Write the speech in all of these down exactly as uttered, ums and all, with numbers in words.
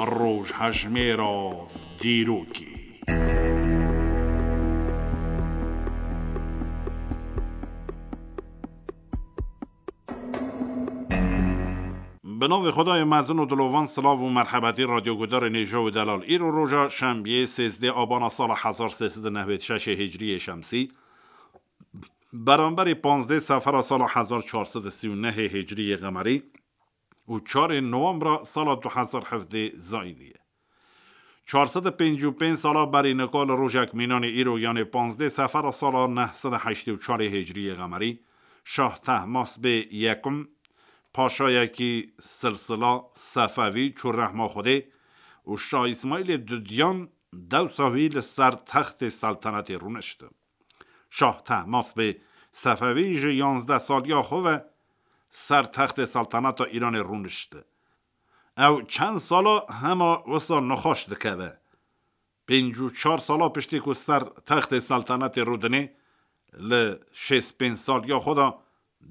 Rojhejmêra dîrokê. Bi navê Xwedayê mezin û dilovan, silav û merhebetî radyogudarên hêja û delal. Îro roja şembiyê, sêzdeh abana sala hezar sê sed û nehwêd şeşê hicriyê şemsî, beramberî panzdeh sefera sala hezar çar sed û sî û nehê hicriyê qemerî û çarê nowembra sala du hezar hevdeh zayînî ye. Çar sed û pêncî û pênc sala berî nika li rojek mînanê îro, yanê panzdeh sefera sala neh sed û heştê û çarê hicriyê qemerî, Şah Tehmas bê yekim, paşayekî silsila Sefewî çû rehma Xwedê û Şah Îsmaîlê Dudiyan dewsa wî li ser textê seltenetê rûnişt. Şah Tehmas bê Sefewî ji yanzdeh saliya xwe ve ser textê selteneta Îranê rûnişt. Ew çend sala hema wisa nexweş dikeve. Pêncî û çar sala piştî ku ser textê seltenetê rûdinê, li şêst pênc saliya xwe de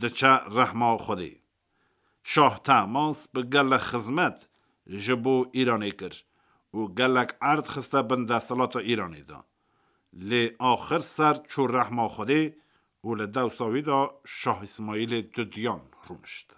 diçe rehma Xwedê. Şah Tehmas bi gelek xizmet ji bo Îranê kir û gelek erd xiste bin desthilata Îranê de. Lê axir ser çû rehma Xwedê û li dewsa wî de Şah Îsmaîlê Dudiyan rûnişt.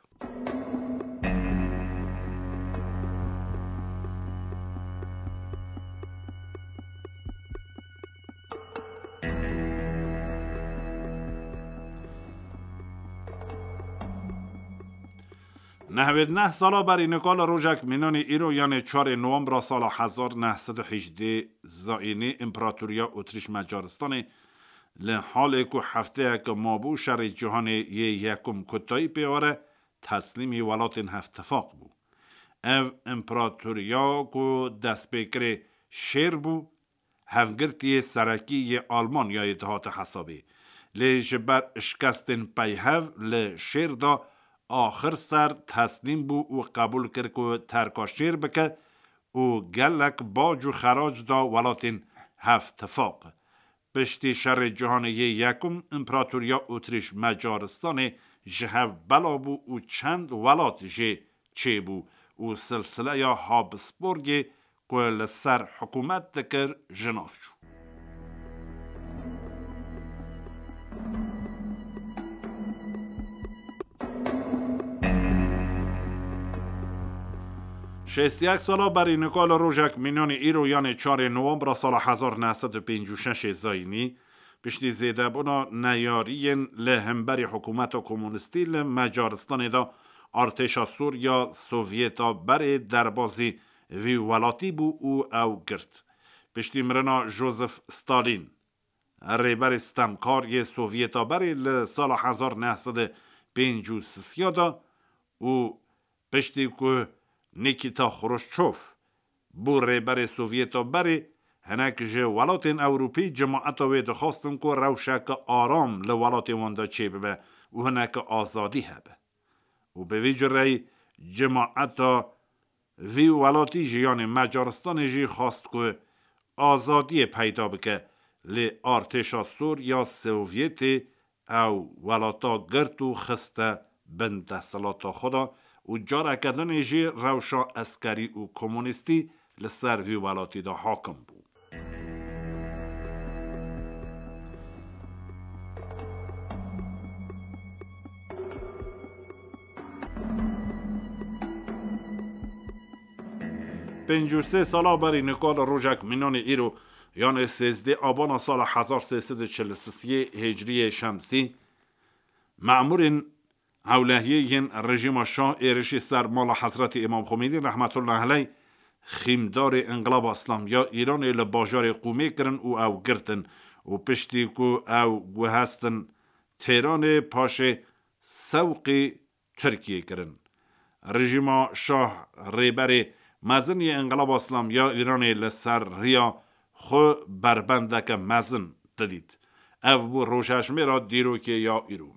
Nehwêd neh sala berî nika li rojek mînanî îro, yanê çarê nowembra sala hezar neh sed û hejdê zayînî, Împaratoriya Otrîş Macaristanê li halê ku hefteyek mabû şerê cîhanê yê yekum kutayî pê were, teslîmî welatên Hevtifaq bû. Ev împaratoriya ku destpêkirê şêr bû, hevgirtiyê serekî yê Almanyayê dihate hesabê. Lê ji ber şikestên peyhev li şêr de axir ser teslîm bû û qebûl kir ku terka şêr bike û gelek bac û xerac da welatên Hevtifaq. Piştî şerê cîhanê yê yekum, Împaratoriya Otrîş Macaristanê ji hev bela bû û çend welat jê çêbû û silsileya Habsburgê ku li ser hikûmet dikir, ji nav çû. Şêst û yek sala berî nika li rojek mînanî îro, yanê çarê nowembra sala hezar neh sed û pêncî û şeş zayînî, piştî zêdebûna neyariyên li hemberî hikûmeta komunîstî li Macaristanê de, artêşa Sûriya Sovyeta berê derbazî vî welatî bû û ew girt. Piştî mirina Josef Stalin, rêberê stemkar yê Sovyeta berê li sala hezar neh sed û pêncî û sisiya de û piştî ku Nikita Xruşçov bû rêberê Sovyeta berê, hinek ji welatên Ewropî cemaeta wê dixwastin ku rewşeke aram li welatê wan de çêbibe û hineke azadî hebe. Û bi vî cureyî cemaeta vî welatî jî, yanê Macaristanê jî xwest ku azadiyê peyda bike, lê artêşa Sûriya Sovyetê ew welata girt û xiste bin desthilata xwe de û careke dinê jî rewşa eskerî û komunîstî li ser vî welatî de hakim bû. Pêncî û sê sala berî nika li rojek mînanê îro, yanê sêzdeh abana sala hezar sê sed û çil û sisiyê hicriyê şemsî, memûrên ewlehiyê yên rejîma şah êrişî ser mala Hezretî Îmam Xomênî rehmetullah aleyh, xîmdarê Înqilaba Îslamî ya Îranê, li bajarê Qûmê kirin û ew girtin û piştî ku ew guhestin Têranê, paşê sewqî Tirkiyê kirin. Rejîma şah rêberê mezin yê Înqilaba Îslamî ya Îranê li ser riya xwe berbendeke mezin didît. Ev bû rojhejmêra dîrokê ya îro.